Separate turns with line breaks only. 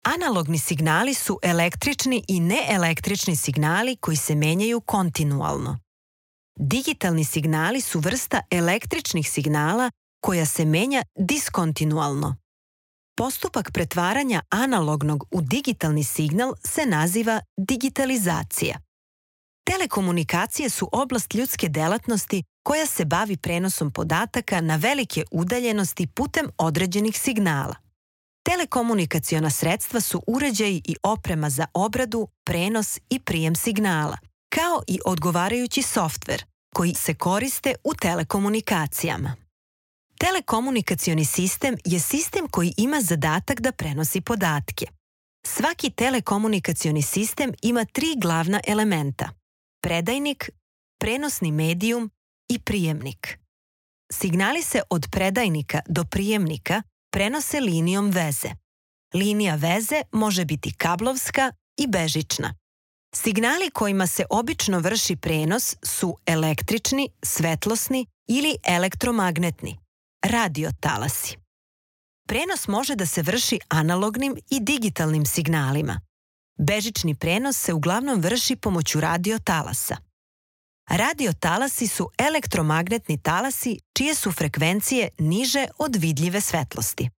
Analogni signali su električni i neelektrični signali koji se menjaju kontinualno. Digitalni signali su vrsta električnih signala koja se menja diskontinualno. Postupak pretvaranja analognog u digitalni signal se naziva digitalizacija. Telekomunikacije su oblast ljudske delatnosti koja se bavi prenosom podataka na velike udaljenosti putem određenih signala. Telekomunikaciona sredstva su uređaji i oprema za obradu, prenos i prijem signala, kao i odgovarajući softver koji se koriste u telekomunikacijama. Telekomunikacioni sistem je sistem koji ima zadatak da prenosi podatke. Svaki telekomunikacioni sistem ima 3 glavna elementa: predajnik, prenosni medijum i prijemnik. Signali se od predajnika do prijemnika prenose linijom veze. Linija veze može biti kablovska i bežična. Signali kojima se obično vrši prenos su električni, svetlosni ili elektromagnetni, radiotalasi. Prenos može da se vrši analognim i digitalnim signalima. Bežični prenos se uglavnom vrši pomoću radiotalasa. Radiotalasi su elektromagnetni talasi čije su frekvencije niže od vidljive svetlosti.